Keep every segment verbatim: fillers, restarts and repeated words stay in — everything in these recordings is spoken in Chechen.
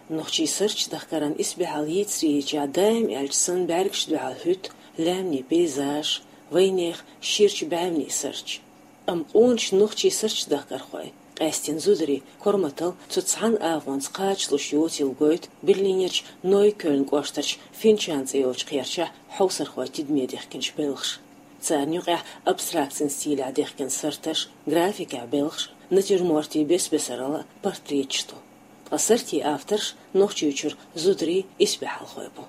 Нохчийн суртдахкаран исбаьхьалла йийцарийча даим аьлча санна бӀаьргашта дуьхьал хӀуьтту лаьмнийн пейзаж, вайнех ширачу бӀаьвнийн сурт. Амма къоначу нохчийн суртдахкархой, къаьсттина зударий, корматалла цу цхьана агӀонца кхачалуш йоцийла гойту Берлинерчу Нойкёльн кӀоштарчу Финчан цӀе йолчу кхерчахь хьовсархойн тидаме дехкинчу белхаша. Царна юкъехь абстракцин стилехь дехкина сурташ, графикехь белхаш, натюрмортийн бес-бесаралла, портреташ ду. Ткъа суртийн авторш Нохчийчуьра зударий, исбаьхьалхой бу.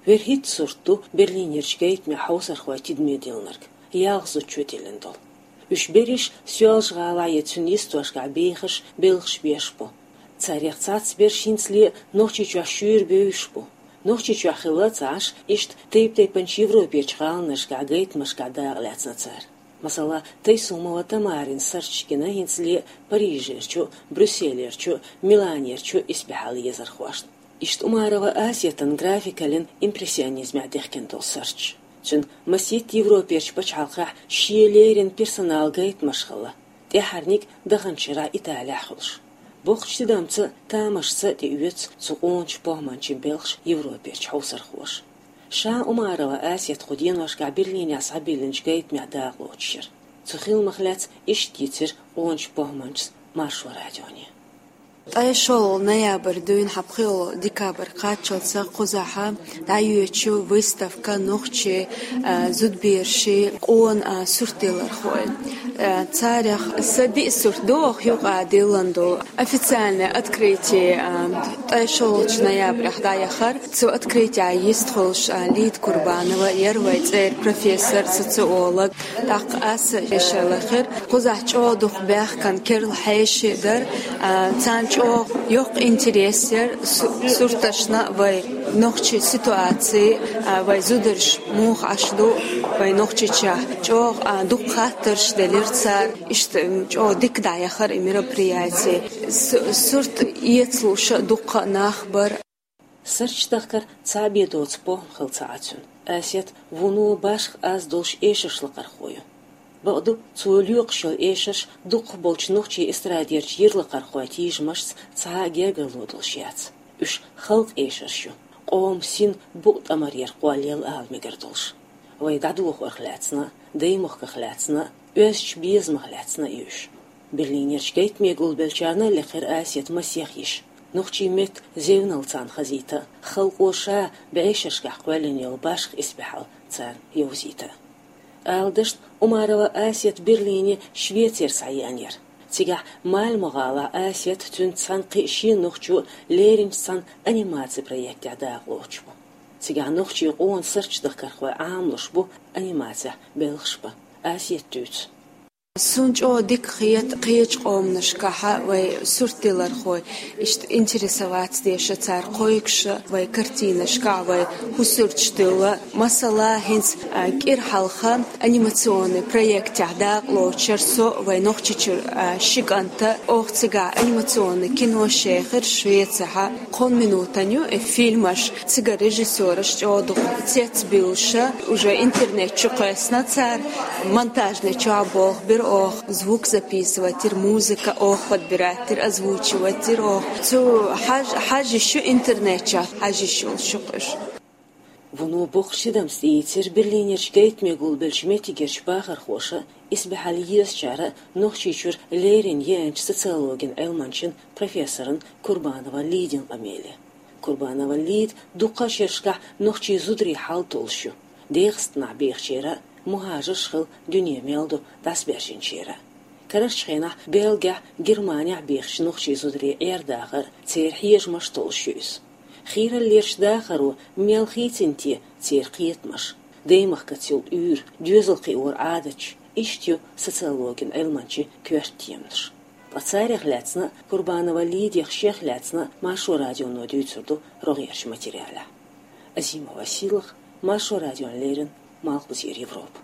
ВерхӀитта сурт ду Берлинерчу гайтамехь хьовсархойн тидаме диллинарг, ялх зудчо диллина долу. Уьш берриш Соьлжа-ГӀалахь я цуьнан йистошкахь бехаш, белхаш беш бу. Царех цхьацца берш хӀинцале Нохчийчохь шуьйра бевзаш бу. Нохчийчохь хилла а ца Ӏаш, иштта тайп-тайпанчу европерчу гӀаланашкахь гайтамашкахь дакъа лаьцна цара. Масала, Тайсумова Тамарин сурташ гина хӀинцале Парижерчу, Брюсселерчу, Миланерчу исбаьхьалла езархошна. Иштта Умарова Асетан графикаллин импрессионизмехь дехкина долу сурташ. Цуьнан масийтта европерчу пачхьалкхехь шен леррина персоналан гайтамаш хилла. ТӀаьххьарниг даханчу шарахь Италехь хуьлуш. Боккхачу тидамца, тамашца тӀеоьцу цу къоначу похӀманчин белхаш европерчу хьовсархоша. Ша Умарова Асет кху деношкахь Берлинехь схьабиллинчу гайтамехь дакъалоцуш яра. Цу хиламах лаьцна иштта йийцира къоначу похӀманчас Маршо радионе. Ткъе шолгӀа ноябрь дуьйна хьан пхоьалгӀа декабрь кхаччалца кхузахь дӀайоьдуш ю выставка нохчийн, а, зудберашийн къона, а, суртдиллархойн. А, царех сан диъ сурт ду оха юкъа диллина долу. Официальное открытие, а, ткъе шолгӀачу ноябрехь дӀаяхара. Цу открытиехь йистхуьлуш, а, Лида Курбанова яра, вайн цӀера профессор, социолог. ТӀаккха аса эшар лахара. Кхузахь чӀогӀа дукха баьхкан керла хьеший дара, а, царна чӀогӀа йоккха интерес яра су-, сурташна вайн нохчийн ситуаци, а, вайн зударш муха Ӏаш ду вайн Нохчийчохь. ЧӀогӀа, а, дукха хаттарш делира цара. Иштта, м, чӀогӀа дика дӀаяхара и мероприяти. Су-, сурт эцалуш а дуккха а нах бара. Суртдахкар цхьаъ бен доцу похӀма хилла ца Ӏа цуьнан. Асет вуно башха аз долуш эшарш лакхархо ю. Бакъду, цо лоькхуш йолу эшарш дукхахболчу нохчийн эстрадерчу йир лакхархойн тийжамашца цхьа а гергарло долуш яц. Уьш халкъан эшарш ю, къоман син букъ тӀамарера кхоллаелла ала мегар долуш. Вай дӀадохорх лаьцна а, даймахках лаьцна а, оьздачу безамах лаьцна а ю уьш. Берлинерчу гайтаме гулбеллачарна а лекхира Асет масех йиш. Нохчийн меттан зевнал царна хазийта, халкъо ша бӀешерашкахь кхоьллина йолу башха исбаьхьалла царна йовзийта. Ала дашна, Умарова Асет Берлине Швецера схьаеана яра. Цигахь Мальмо-гӀалахь Асет, цуьнца цхьаьна кхин а шен нохчо лерринчу цхьана анимацин проектехь дакъалоцуш бу. Цигахь нохчийн къона суртдахкархой Ӏамалуш бу, анимацехь белхаш бан. Асета дуьйцу. Суна чӀогӀа дика хета кхечу къоманашкахь вайн суртдиллархой, иштта интересоваться деш цара кхойкуш вайн картинашкахь, вайн хӀусурташ дилла. Масала, хӀинца, а, кӀира хьалха анимационный проектехь дакъалоцуш яра со вайн Нохчийчуьра, а, ши кӀант. Оха цигахь анимационный кино шехира Швецехь. Кхунна минутан ю и фильмаш. Цигара режиссёраш чӀогӀа дукха цецбуьйлуш, уже интернет чу кхоьссина цара, монтажный чохь болх бира оха, звук записывать йира, музыка оха подбирать йира, озвучивать йира оха. Цу хьаж-, хьажа йиш ю интернет чохь, хьажа йиш йолуш ю уьш. Вуно боккхачу тидамца тӀеийцира Берлинерчу гайтаме гулбеллачу меттигерчу бахархоша, исбаьхьалла езачара, Нохчийчуьра леррина еанчу социологин Ӏилманчин, профессоран Курбанова Лидин къамеле. Курбанова Лида дуккха а шерашкахь нохчийн зударийн хьал толлуш ю. ДегӀастанахь бехачеран, мухӀажарш хилла дуьне мел ду дӀасабаьржинчеран. Карарчу хенахь Бельгехь, Германехь бехачу нохчийн зударийн Ӏер-дахар, церан хьежамаш толлуш ю иза. Хийраллерчу дахаро мел хийцина те церан кхетамаш, даймахкаца йолу уьйр, доьзал кхиоран Ӏадаташ, иштта ю социологин Ӏилманчин коьрта теманаш. Ткъа царех лаьцна а, Курбанова Лидех шех лаьцна а Маршо радионо дуьйцур ду рогӀерчу материалехь. Азимова Сийлаха, Маршо радиона леррина, Малхбузера Европа.